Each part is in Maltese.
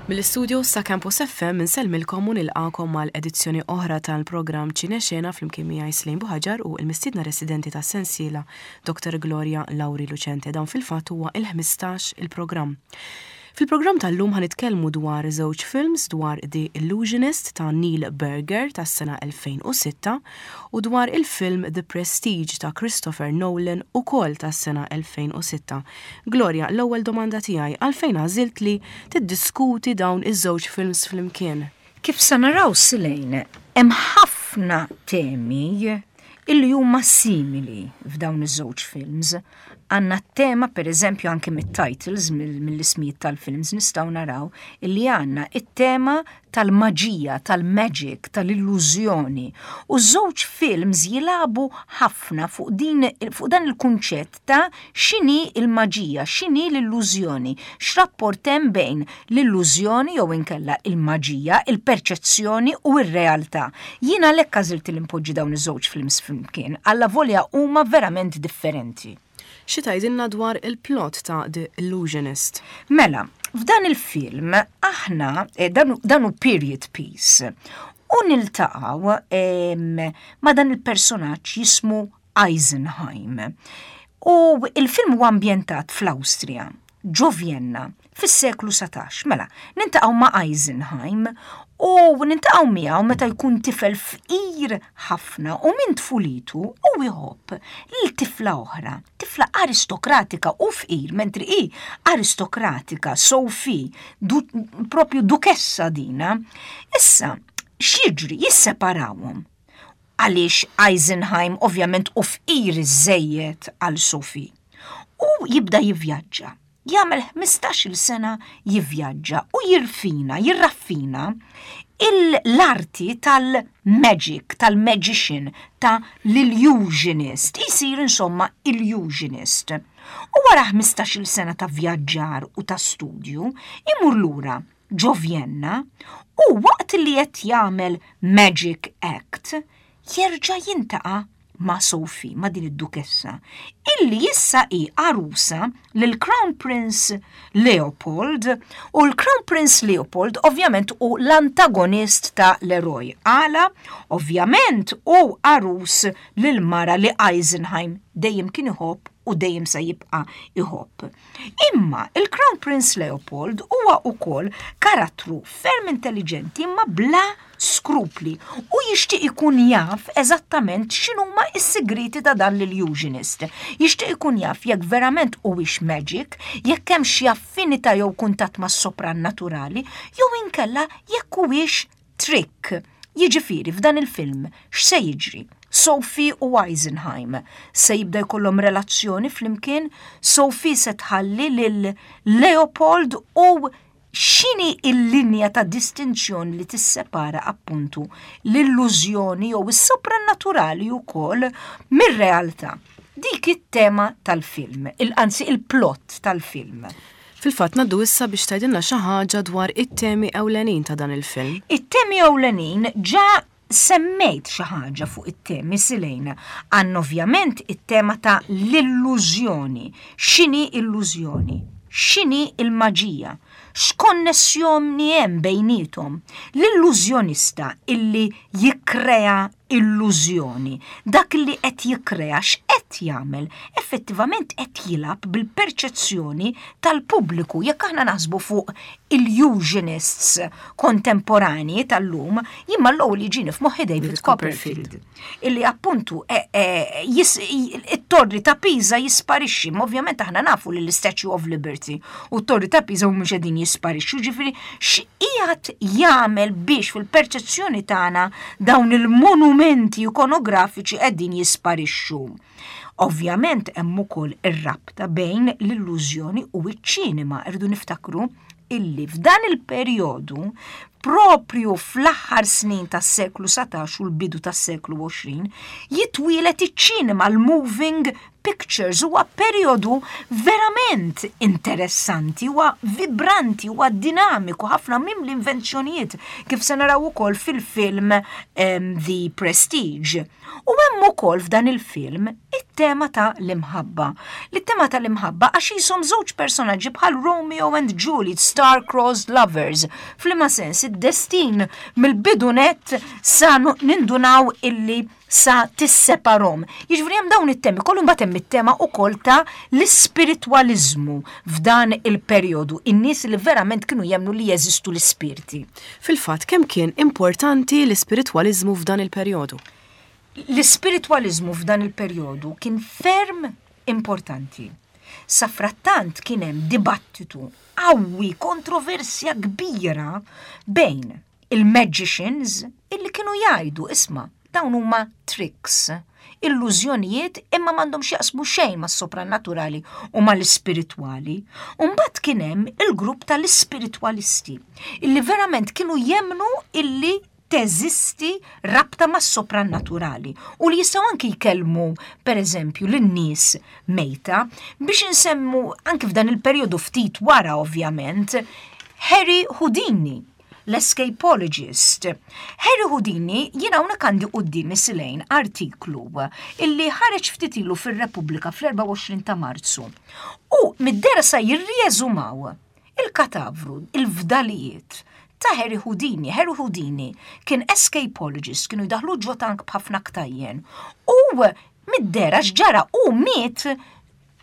Mill-istudios ta' Campus FM insellmilkom u nilqakom għal edizzjoni oħra tal-programm Ċinexena flimkien miegħi Slejn Buħaġar u l-mistiedna residenti tas-sensiela Dr. Gloria Lauri Lucente. Dan fil-fatt huwa il-15 il-programm. Fil-programm tal-lum ħa nitkellmu dwar żewġ films dwar The Illusionist ta' Neil Berger tas-sena 2006 u dwar il-film The Prestige ta' Christopher Nolan ukoll tas-sena 2006. Gloria, l-ewwel domanda tiegħi, għalfejn għażilt li tiddiskuti dawn iż-żewġ films flimkien? Kif se naraw Silejn, hemm ħafna temi illi huma simili f'dawn iż-żewġ films. Għandna t-tema, per eżempju, anke mit-titles, mill-ismijiet tal-films, nistgħu naraw illi għandna it-tema tal-maġija, tal-magic, tal-illużjoni. U żewġ films jilagħbu ħafna fuq din fuq dan il-kunċett ta' x'inhi il-maġija, x'inhi l-illużjoni, x'rapport hemm bejn l-illużjoni jew inkella il-maġija, il-perċezzjoni u r-realtà. Jien għalhekk għażilt li npoġġi dawn iż-żewġ films flimkien, allavolja huma verament differenti. Xi tgħidilna dwar il-plot ta' The Illusionist? Mela, f'dan il-film aħna eh, dan hu period piece u niltaqgħu ma' dan il-personaġġ jismu Eisenheim. U il-film huwa ambjentat fl-Awstrija, ġo Vienna, fis-seklu 17. Mela, nintaqgħu ma' Eisenheim u nintaqgħu miegħu meta jkun tifel fqir ħafna u minn tfulitu u jħobb lil tifla oħra, tifla aristokratika u fqir, mentri hi aristokratika, Sophie, du, propju dukessa dina. Issa, x'jiġri? Jisseparawhom. Għaliex Eisenheim ovvjament hu fqir iżżejjed għal Sophie. U jibda jivvjaġġa. Jagħmel 15-il sena jivvjaġġa u jirfina, jirraffina l-arti tal-magic, tal-magician, ta' l-illusionist. Isir insomma illusionist. U wara 15-il sena ta' vjaġġar u ta' studju, imur lura ġo Vjenna u waqt li qed jagħmel magic act jerġa' jintaqa' ma' Sophie, ma' din id-dukessa, illi issa hi għarusa lil Crown Prince Leopold u l-Crown Prince Leopold ovvjament hu l-antagonist ta' l-eroj. Għala? Ovvjament hu għarus lil mara li Eisenheim dejjem kien iħobb u dejjem se jibqa' iħobb. Imma il-Crown Prince Leopold huwa wkoll karattru ferm intelliġenti imma bla skrupli u jixtieq ikun jaf eżattament x'inhuma s-sigrieti ta' dan l-illusionist. Jixtieq ikun jaf jekk verament huwiex magic, jekk hemm xi affinità jew kuntatt mas-soprannaturali, jew inkella jekk huwiex trick. Jiġifieri f'dan il-film x'se jiġri? Sophie u Eisenheim se jibda jkollhom relazzjoni flimkien, Sophie se tħalli lil Leopold u x'inhi l-linja ta' distinzjoni li tissepara appuntu l-illużjoni jew is-soprannaturali wkoll mir-realtà. Dik it-tema tal-film, anzi il-plot tal-film. Fil-fatt ngħaddu issa biex tgħidilna xi ħaġa dwar it-temi ewlenin ta' dan il-film. It-temi ewlenin ġa semmejt xi ħaġa fuq it-temi Silejna. Għandna ovvjament it-tema ta' l-illużjoni. X'inhi illużjoni? X'inhi l-maġija? X'konnessjoni hemm bejniethom? L-illużjonista illi jikkrea illużjoni. Dak li qed jikkrea x'qed jagħmel? Effettivament qed jilgħab bil-perċezzjoni tal-pubbliku. Jekk aħna naħsbu fuq illusionists kontemporanji tal-lum, jien mal-ewwel jiġini f'moħħi David Copperfield. Illi appuntu e, e, it-torri ta' Pisa jisparixxi, ma ovvjament aħna nafu li l-Statue of Liberty u t-torri ta' Pisa mhumiex qegħdin jisparixxu, ġifieri x'qiegħed jagħmel biex fil-perċezzjoni tagħna dawn il-monumenti ikonografiċi qegħdin jisparixxu. Ovvjament hemm ukoll ir-rabta bejn l-illużjoni u ċ-ċinema, irridu niftakru illi f'dan il-perjodu propju fl-aħħar snin tas-seklu 19 u l-bidu tas-seklu 20 jitwielet iċ-ċinema l-moving Pictures huwa perjodu verament interessanti, huwa vibranti, huwa dinamiku ħafna mimli invenzjonijiet kif se naraw ukoll fil-film um, The Prestige. U hemm ukoll f'dan il-film it It-tema ta' l-imħabba. L-tema ta' l-imħabba għax jisom żewġ personaġġi bħal Romeo and Juliet, star-crossed lovers. F'liema sens id-destin mill-bidu nett sa nindunaw illi sa tisseparhom. Jiġifieri hemm dawn it-temi kollu mbagħad hemm it-tema wkoll ta' l-ispiritwaliżmu f'dan il-perjodu, in-nies li verament kienu jemmnu li jeżistu l-ispirti. Fil-fatt, kemm kien importanti l-ispiritwaliżmu f'dan il-perjodu? L-ispiritwaliżmu f'dan il-perjodu kien ferm importanti. Safrattant kien hemm dibattitu qawwi, kontroversja kbira bejn il-magicians illi kienu jgħidu isma' dawn huma tricks, illużjonijiet imma m'għandhom x'jaqsmu xejn mas-soprannaturali u mal-ispiritwali. U mbagħad kien hemm il-grupp tal-ispiritwalisti illi verament kienu jemmnu illi teżisti rabta mas-soprannaturali u li jistgħu anki jkellmu pereżempju lin-nies mejta biex insemmu anki f'dan il-perjodu ftit wara ovvjament Harry Houdini l-escapologist. Harry Houdini jien hawnhekk għandi quddiemi Silejn artiklu illi ħareġ ftit ilu fir-Repubblika fl-24 ta' Marzu. U mid-dera sa jirrieżumaw il-katavru, il-fdalijiet ta' Harry Houdini. Harry Houdini kien escapologist, kienu jdaħlu ġo tank b'ħafna ktajjen. U mid-dera x'ġara u miet e,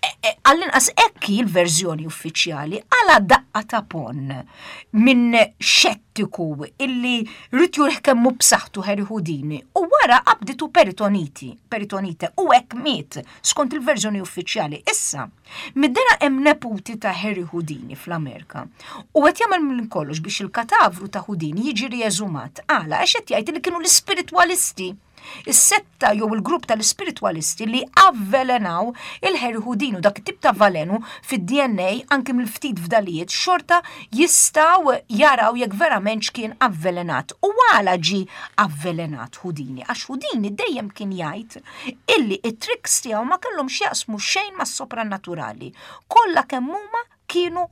e, għall-inqas ekki l-verżjoni uffiċjali għala daqqa ta' pon minn xettiku illi rrid jurih kemmu b'saħħtu Harry Houdini u wara qabditu peritoniti, peritonite u hekk miet skont il-verżjoni uffiċjali. Issa, Mid-dehra hemm neputi ta' Harry Houdini fl-Amerika u qed jagħmel minn kollox biex il-katavru ta' Houdini jiġi rieżumat. Għala? Għax qed jgħid li kienu l-ispiritwalisti is-setta jew il-grupp tal-ispiritwalisti li avvelenaw il-Harry Houdini u dak it-tip ta' valenu fid-DNA anki mill-ftit fdalijiet xorta jistgħu jaraw jekk verament x'kien avvelenat. U għala ġie avvelenat Houdini? Għax Houdini dejjem kien jgħid illi it-tricks tiegħu ma kellhom x'jaqsmu xejn mas-soprannaturali. Kollha kemm huma kienu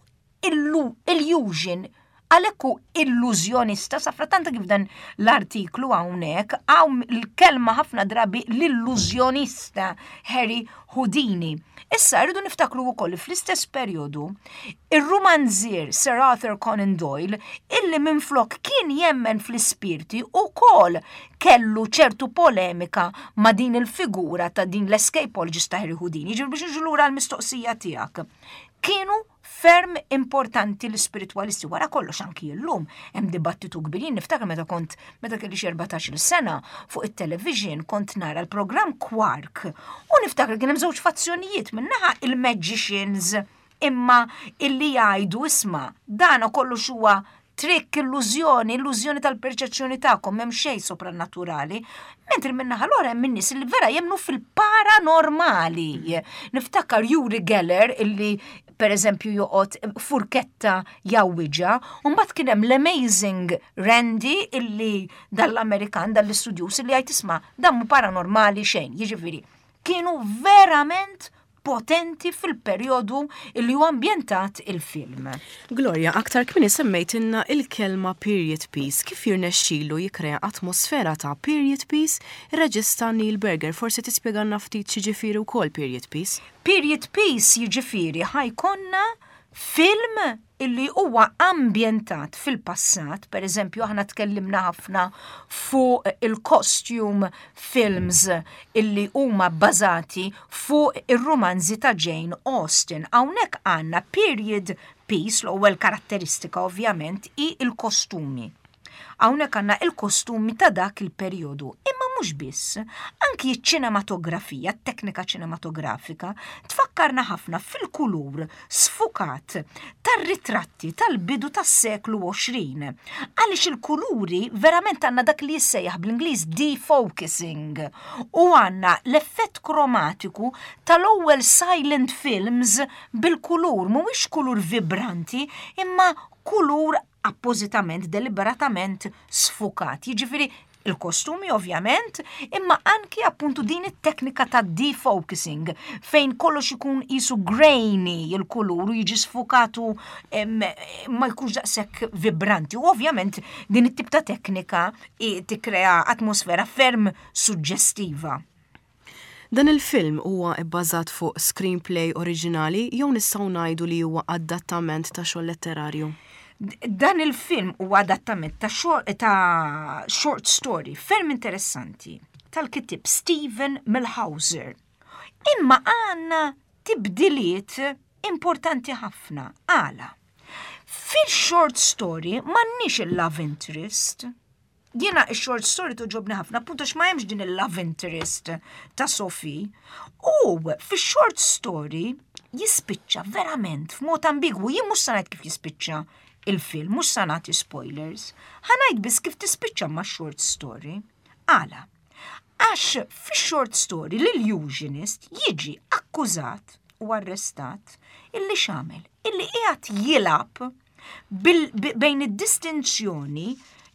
illusion għalhekk hu illużjonista safrattant kif dan l-artiklu hawnhekk hawn il-kelma ħafna drabi l-illużjonista Harry Houdini. Issa rridu niftakru wkoll li fl-istess perjodu ir-rumanzier Sir Arthur Conan Doyle illi minflok kien jemmen fl-ispirti ukoll kellu ċertu polemika ma' din il-figura ta' din l-escapologist ta' Harry Houdini. Ġifieri biex niġu lura l-mistoqsija tiegħek. Kienu ferm importanti l-ispiritwalisti wara kollox anki llum hemm dibattitu kbir. Jien niftakar meta kont meta kelli xi 14-il sena fuq it-television kont nara l-programm Quark u niftakar kien hemm żewġ fazzjonijiet minnaħa il-magicians imma illi jgħidu isma' dan kollox huwa trick, illużjoni, illużjoni tal-perċezzjoni tagħkom, m'hemm xejn soprannaturali. Mentri min-naħa l-oħra hemm in-nies li vera jemmnu fil-paranormali. Niftakar Uri Geller illi per eżempju joqgħod furketta jgħawwiġha, u mbagħad kien hemm l-Amazing Randy illi dal-Amerikan, dal-istudjuż illi jgħid isma' dan mhu paranormali xejn, jiġifieri kienu verament potenti fil-perjodu li huwa ambjentat il-film. Gloria, aktar kmieni semmejtilna il-kelma period piece. Kif jirnexxilu jikkrea atmosfera ta' period piece ir-reġista Neil Berger? Forsi tispjegalna ftit x'jiġifieri wkoll period piece? Period piece jiġifieri ħa jkollna film illi huwa ambjentat fil-passat, per eżempju aħna tkellimna ħafna fuq il-costume films illi huma bbażati fuq ir-rumanzi ta' Jane Austen. Hawnhekk għandna period piece, l-ewwel karatteristika ovvjament hi il-kostumi. Hawnhekk għandna il-kostumi ta' dak il-perjodu. Imma mhux biss, anki ċ-ċinematografija, t-teknika ċinematografika, tfakkarna ħafna fil-kulur sfukat tar-ritratti tal-bidu tas-seklu 20. Għaliex il-kuluri verament għandna dak li jissejjaħ bl-Ingliż defocusing u għandna l-effett kromatiku tal-ewwel silent films bil-kulur, mhuwiex kulur vibranti, imma kulur appożitament, deliberatament sfukat. Jiġifieri il-kostumi ovvjament, imma anki appuntu din it-teknika ta' defocusing fejn kollox ikun jisu grainy il-kulur u jiġi sfukatu ma jkunx daqshekk vibranti. U ovvjament din it-tip ta' teknika tikkrea atmosfera ferm suġġestiva. Dan il-film huwa bbażat fuq screenplay oriġinali jew nistgħu ngħidu li huwa adattament ta' xogħol letterarju? Dan il-film huwa adattament ta' ta' short story ferm interessanti tal-kittieb Steven Millhauser. Imma għandna tibdiliet importanti ħafna. Għala? Fil-short story m'għandniex il-love interest. Jiena ix-short story toġobni ħafna, appunto għax ma hemmx din il-love interest ta' Sophie. U fix-short story jispiċċa verament f'mod ambigwu. Jien mhux se ngħid kif jispiċċa il-film, mhux se nagħti spoilers. Ħa ngħid biss kif tispiċċa ma' short story. Għala? Għax fix-short story l-illusionist jiġi akkużat u arrestat illi x'għamel? Illi qiegħed jilgħab bejn id-distinzjoni,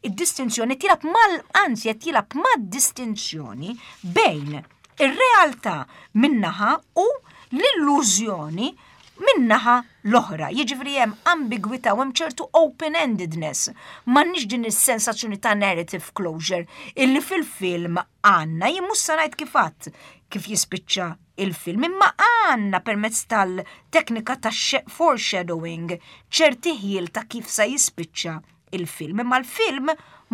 id-distinzjoni tilab mal, anzi qed jilgħab mad-distinzjoni bejn ir-realtà minnaħa u l-illużjoni minnaħa l-oħra. Jiġifieri hemm ambigwità u hemm ċertu open-endedness. M'għandniex din is-sensazzjoni ta' narrative closure illi fil-film għandna. Jien mhux se ngħid kif għadd kif jispiċċa il-film, imma għandna permezz tal-teknika ta' foreshadowing ċerti ħjiel ta' kif sa jispiċċa il-film. Imma l-film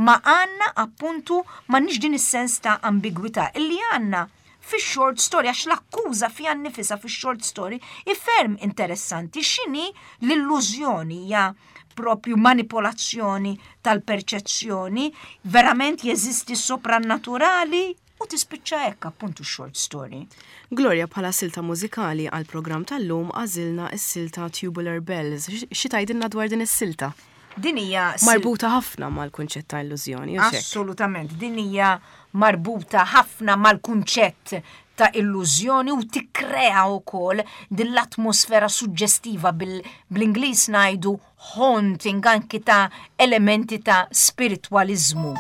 ma għandna appuntu m'għandniex din is-sens ta' ambigwità illi għandna fix-short story għax l-akkuża fiha nnifisha fix-short story hi ferm interessanti x'inhi l-illużjoni hija propju manipolazzjoni tal-perċezzjoni, verament jeżisti s-soprannaturali U tispiċċa hekk appuntu x-short story. Gloria bħala silta mużikali għall-programm tal-lum għażilna s-silta Tubular Bells. Xi tgħidilna dwar din is-silta? Din hija marbuta ħafna mal-kunċett ta' illużjoni. Assolutament, din hija marbuta ħafna mal-kunċett ta' illużjoni u tikkrea wkoll din l-atmosfera suġġestiva bil-Ingliż ngħidu haunting anki ta' elementi ta' spiritwaliżmu.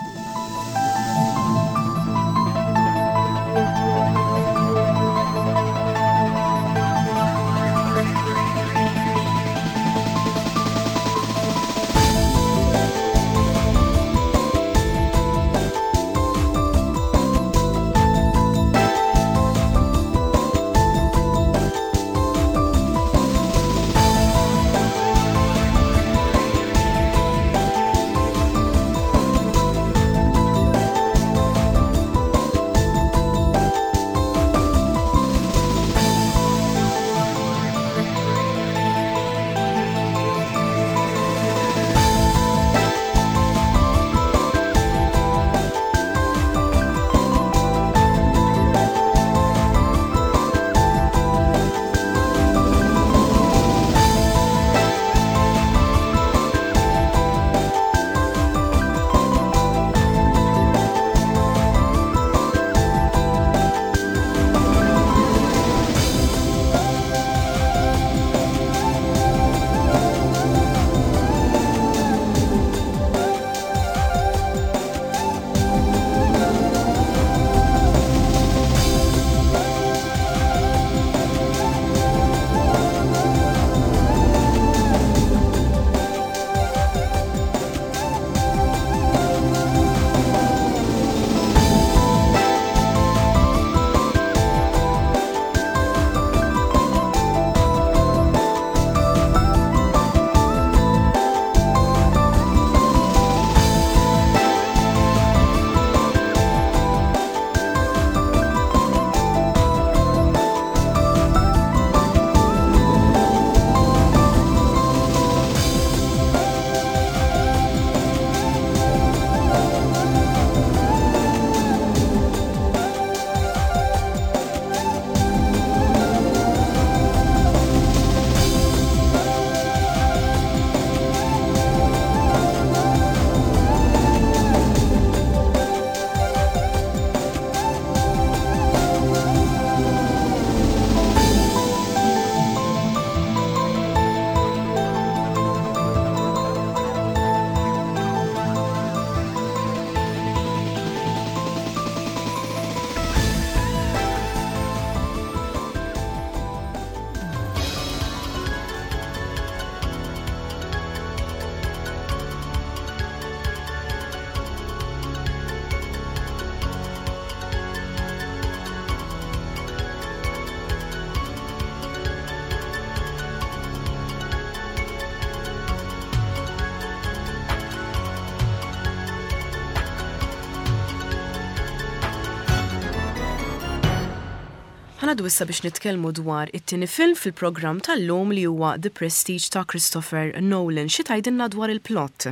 Ħa ngħaddu issa biex nitkellmu dwar it-tieni film fil-programm tal-lum li huwa The Prestige ta' Christopher Nolan. Xi tgħidilna dwar il-plot?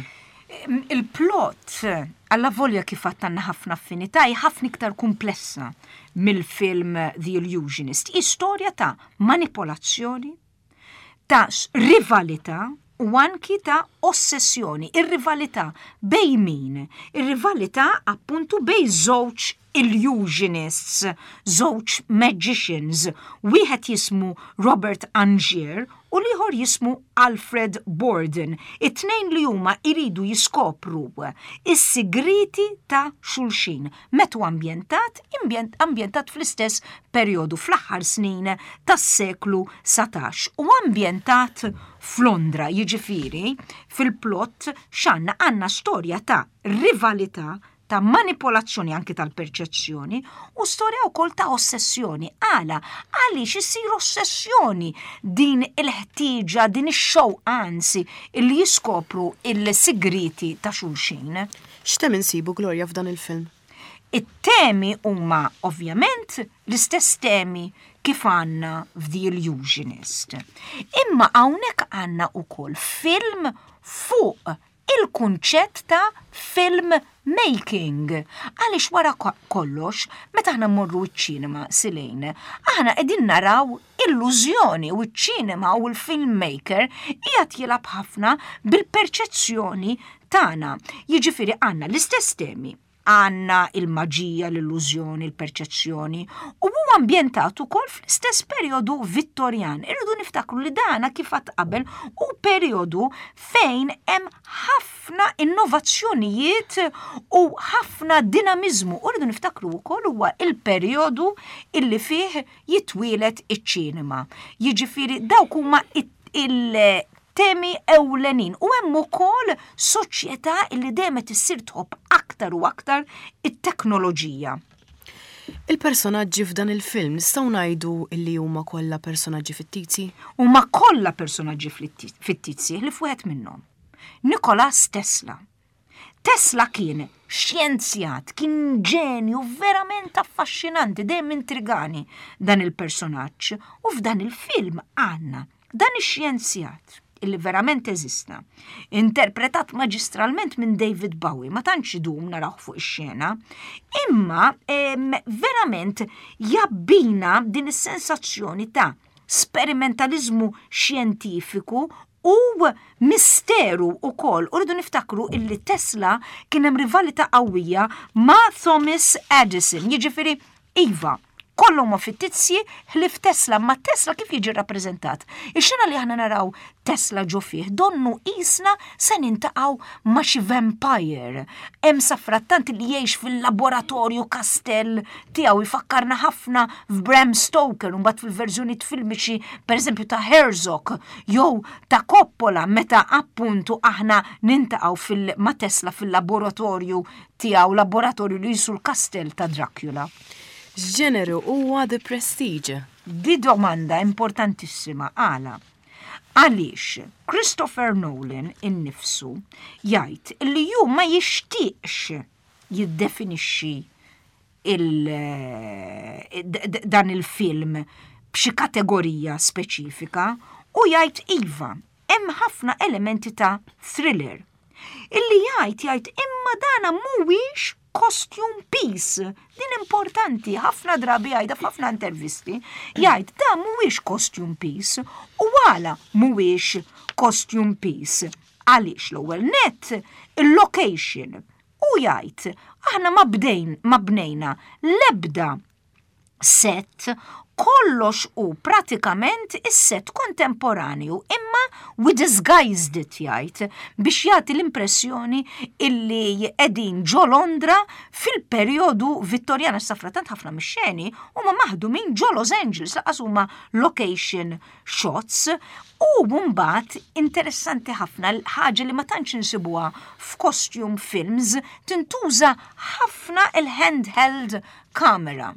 Il-plot, allavolja kif għadt għandna ħafna affinità, hi ħafna iktar kumplessa mill-film The Illusionist. Hi storja ta' manipolazzjoni, ta' rivalità u anki ta' ossessjoni. Ir-rivalità bejn min? Ir-rivalità appuntu bejn żewġ illusionists, żewġ magicians, wieħed jismu Robert Angier u l-ieħor jismu Alfred Borden. It-tnejn li huma jridu jiskopru is-sigrieti ta' xulxin. Meta hu ambjentat? Ambjentat fl-istess perjodu, fl-aħħar snin tas-seklu 19 u ambjentat f'Londra, jiġifieri fil-plott x'għandna? Għandna storja ta' rivalità, ta' manipolazzjoni anki tal-perċezzjoni u storja wkoll ta' ossessjoni. Għala? Għaliex issir ossessjoni din il-ħtieġa, din ix-xewqa anzi li jiskopru il-sigrieti ta' xulxin. X'temi nsibu, Gloria, f'dan il-film? It-temi huma ovvjament l-istess temi kif għandna f'The Illusionist. Imma hawnhekk għandna wkoll film fuq il-kunċett ta' film making. Għaliex wara kollox, meta aħna mmorru ċ-ċinema silejn, aħna qegħdin naraw illużjoni u ċ-ċinema u l-filmmaker qiegħed jilgħab ħafna bil-perċezzjoni tagħna. Jiġifieri għandna l-istess temi, għandna il-maġija, l-illużjoni, il-perċezzjoni u huwa ambjentat ukoll fl-istess perjodu Vittorjan. Irridu niftakru li dana kif għadt qabel hu perjodu fejn hemm ħafna innovazzjonijiet u ħafna dinamiżmu. U rridu niftakru wkoll huwa il-perjodu illi fih jitwieled iċ-ċinema. Jiġifieri dawk huma il-temi ewlenin u hemm ukoll soċjetà li dejjem qed issir tħobb aktar u aktar it-teknoloġija. Il-personaġġi f'dan il-film nistgħu ngħidu li huma kollha personaġġi fittizji? Huma kollha personaġġi fittizji ħlief wieħed minnhom. Nikolas Tesla. Tesla kien xjenzjat, kien ġenju verament affaxxinanti, dejjem intrigani dan il-personaġġ. U f'dan il-film għandna dan ix-xjenzjat illi verament eżista, interpretat maġistralment minn David Bowie, ma tantx idum narawh fuq ix-xena, imma verament jabbina din is-sensazzjoni ta' sperimentaliżmu xjentifiku u misteru wkoll. U rridu niftakru illi Tesla kien hemm rivalità qawwija ma' Thomas Edison, jiġifieri iva, kollha huma fittizji ħlief Tesla, ma Tesla kif jiġi rappreżentat? Ix-xena li aħna naraw Tesla ġo fih donnu qisna se nintaqgħu ma' xi vampire. Hemm safrattant li jgħix fil-laboratorju kastell tiegħu jfakkarna ħafna f'Bram Stoker u mbagħad fil-verżjonijiet filmiċi pereżempju ta' Herzog jew ta' Coppola meta appuntu aħna nintaqgħu fil ma' Tesla fil-laboratorju tiegħu, laboratorju li jisu l-kastell ta' Dracula. X'ġeneru huwa The Prestige? Di domanda importantissima għala? Għaliex Christopher Nolan innifsu jgħid li hu ma jixtieqx jiddefinixxi dan il-film b'xi kategorija speċifika u jgħid iva, hemm ħafna elementi ta' thriller. Illi jgħid jgħid imma dana mhuwiex costume piece. Din importanti, ħafna drabi jgħidha f'ħafna intervisti, jgħid da mhuwiex costume piece u għala mhuwiex costume piece. Għaliex l-ewwel net il-location u jgħid aħna ma bdejn ma bnejna l-ebda set kollox hu pratikament is-set kontemporanju imma we disguised it jgħid biex jagħti l-impressjoni illi qegħdin ġo Londra fil-perjodu Vittorjana safratant ħafna mix-xeni huma maħdumin ġo Los Angeles laqas huma location shots u mbagħad interessanti ħafna ħaġa li ma tantx insibuha f'costume films tintuża ħafna il-handheld camera.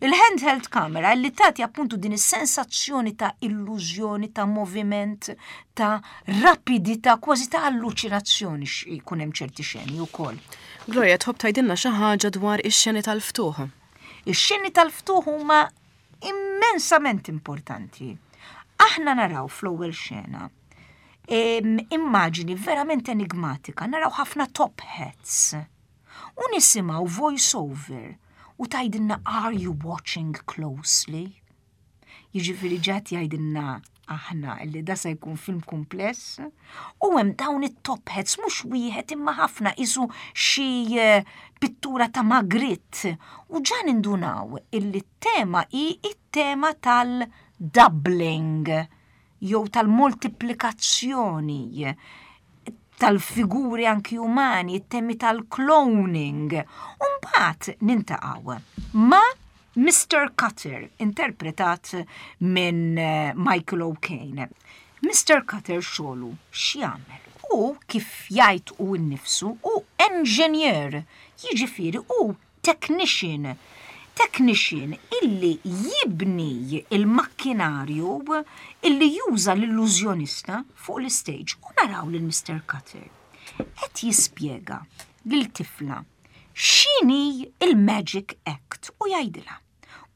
Il-handheld camera li tagħti appuntu din is-sensazzjoni ta' illużjoni, ta' moviment, ta' rapidità, kważi ta' alluċinazzjoni jkun hemm ċerti xeni wkoll. Gloria, tħobb tgħidilna xi ħaġa dwar ix-xeni tal-ftuħ? Ix-xeni tal-ftuħ huma immensament importanti. Aħna naraw fl-ewwel xena immaġini verament enigmatika, naraw ħafna top hats. U nisimgħu voice over u tgħidilna are you watching closely? Jiġifieri ġat jgħidilna aħna li da se jkun film kumpless u hemm dawn it-top hats mhux wieħed imma ħafna isu xi eh, pittura ta' Magritte u ġa nindunaw illi t-tema hi it-tema tal-doubling jew tal-moltiplikazzjoni tal-figuri anki umani, it-temi tal-cloning. U mbagħad nintaqgħu ma' Mr. Cutter, interpretat minn eh, Michael O'Kane. Mr. Cutter xogħlu x'jagħmel? U kif jgħid hu nnifsu hu engineer, jiġifieri hu technician. Technician illi jibni il-makkinarju illi juża l-illużjonista fuq l-istage u naraw lil Mr. Cutter qed jispjega lil tifla x'inhi il-magic act u jgħidilha.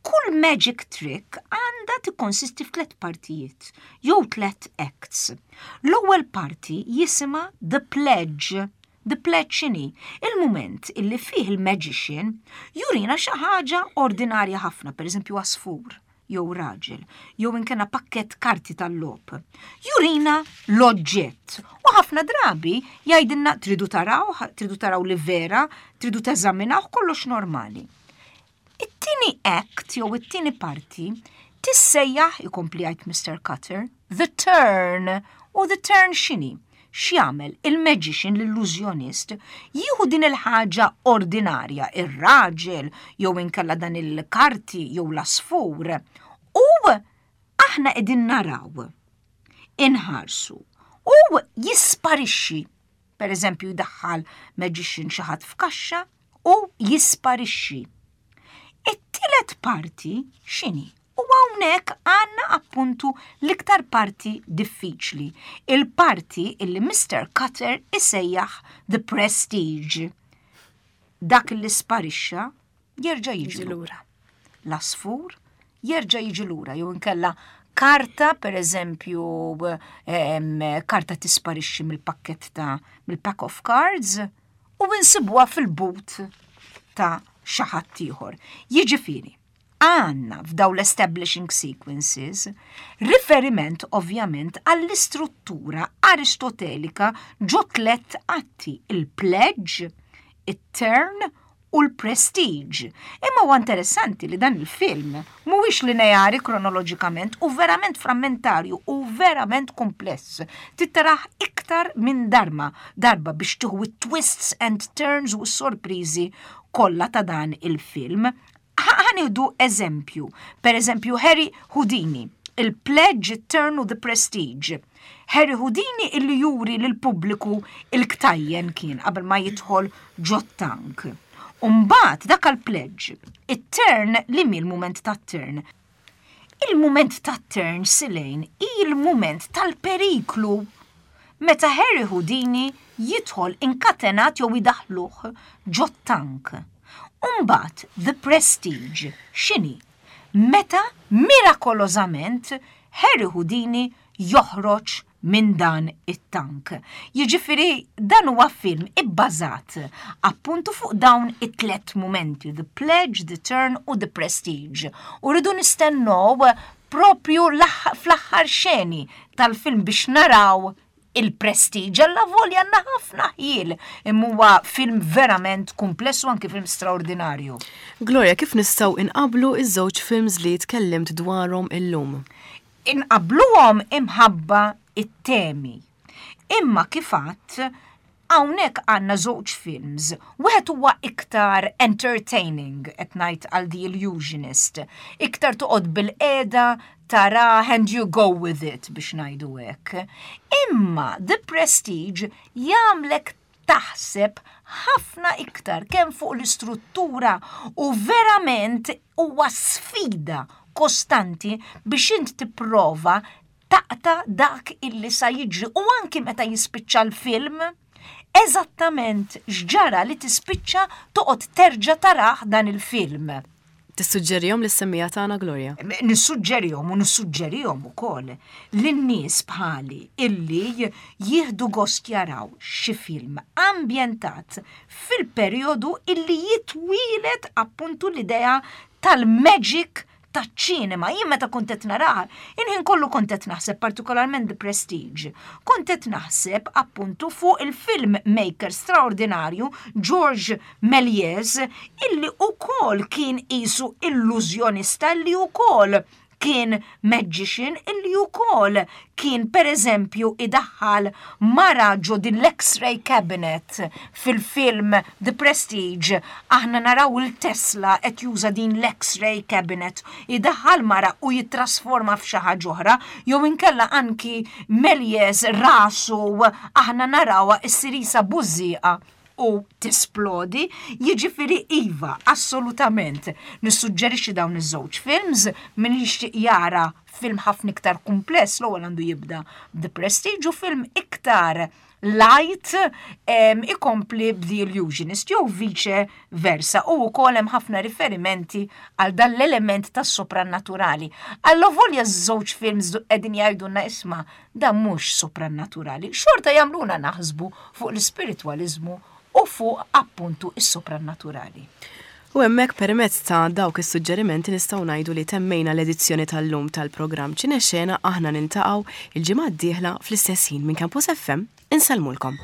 Kull magic trick għandha tikkonsisti f'tliet partijiet jew tliet acts. L-ewwel parti jisimha The Pledge. The Pledge x'inhi? Il-mument illi fih il-magician jurina xi ħaġa ordinarja ħafna, pereżempju għasfur jew raġel, jew inkella pakkett karti tal-logħob. Jurina l-oġġett. U ħafna drabi jgħidilna tridu taraw, tridu taraw li vera, tridu teżaminaw kollox normali. It-tieni act jew it-tieni parti tissejjaħ, ikompli jgħid Mr. Cutter, The Turn. U The Turn x'inhi? X'jagħmel il-magician l-illużjonist jieħu din il-ħaġa ordinarja, ir-raġel jew inkella dan il-karti jew l-asfur, u aħna qegħdin naraw inħarsu u jisparixxi. Per eżempju jdaħħal magician xi ħadd f'kaxxa u jisparixxi. It-tielet parti x'inhi? U hawnhekk għandna appuntu l-iktar parti diffiċli, il-parti illi Mr. Cutter isejjaħ The Prestige. Dak li sparixxa jerġa' jiġi lura. L-asfur jerġa' jiġi lura jew inkella karta, per eżempju, karta tisparixxi mill-pakkett ta' mill-pack of cards u insibuha fil-but ta' xi ħadd ieħor. Jiġifieri, għandna f'daw l-establishing sequences riferiment ovvjament għall-istruttura aristotelika ġo tlett atti, il-pledge, it-turn u l-prestige. Imma huwa interessanti li dan il-film mhuwiex lineari kronoloġikament u verament frammentarju u verament kumpless. Tittarah iktar minn darma darba biex tieħu it-twists and turns u s-sorpriżi kollha ta' dan il-film. Ħa nieħdu eżempju. Per eżempju, Harry Houdini, il-Pledge, Turn u The Prestige. Harry Houdini illi juri lill-pubbliku il-ktajjen kien qabel ma jidħol ġot-tank. Umbagħad dak għall-pledge, it-turn li mi l-mument tat-turn. Il-mument tat-turn Silane hi l-mument tal-periklu meta Harry Houdini jidħol inkatenat jew idaħħluh ġot-tank. Umbagħad The Prestige x'inhi? Meta mirakolożament Harry Houdini joħroġ minn dan it-tank. Jiġifieri dan huwa film ibbażat appuntu fuq dawn it-tlet mumenti, The Pledge, The Turn u The Prestige. U rridu nistennew propju fl-aħħar xeni tal-film biex naraw il-Prestige. Alla volja għandna ħafna ħjiel imma huwa film verament kumpless u anki film straordinarju. Gloria, kif nistgħu inqabblu iż-żewġ films li tkellimt dwarhom illum? Inqabbluhom imħabba it-temi. Imma kif għadt, hawnhekk għandna żewġ films. Wieħed huwa iktar entertaining, qed ngħid għal The Illusionist. Iktar toqgħod bil-qiegħda tara and you go with it biex ngħidu hekk. Imma The Prestige jagħmlek taħseb ħafna iktar kemm fuq l-istruttura u verament huwa sfida kostanti biex int tipprova taqta' dak illi sa jiġri u anki meta jispiċċa l-film eżattament x'ġara li tispiċċa toqgħod terġa' tarah dan il-film. Tissuġġerihom lis-semmiegħa tagħna Gloria? Nissuġġerihom u nissuġġerihom ukoll lin-nies bħali illi jieħdu gost jaraw xi film ambjentat fil-perjodu illi jitwieled appuntu l-idea tal-magic taċ-ċinema. Jien meta kont qed narah, il-ħin kollu kont qed naħseb partikolarment The Prestige. Kont qed naħseb appuntu fuq il-film maker straordinarju Georges Méliès illi ukoll kien qisu illużjonista illi ukoll kien magician illi ukoll kien pereżempju idaħħal mara ġo din l-X-ray cabinet fil-film The Prestige aħna naraw il-Tesla qed juża din l-X-ray cabinet idaħħal mara u jittrasforma f'xi ħaġa oħra jew inkella anki Méliès rasu aħna narawha issir qisha bużżieqa u tisplodi, jiġifieri iva, assolutament. Nissuġġerixxi dawn iż-żewġ films min jixtieq jara film ħafna iktar kumpless l-ewwel għandu jibda The Prestige u film iktar light ikompli b'The Illusionist jew vice versa u wkoll hemm ħafna riferimenti għal dan l-element tas-soprannaturali. Allavolja ż-żewġ films qegħdin jgħidulna isma' dan mhux soprannaturali, xorta jagħmluna naħsbu fuq l-ispiritwaliżmu u fuq appuntu is-soprannaturali. U hemmhekk permezz ta' dawk is-suġġerimenti nistgħu ngħidu li temmejna l-edizzjoni tal-lum tal-programm Ċinexena aħna niltaqgħu il-ġimgħa d-dieħla fl-istess ħin minn Campus FM insellmulkom.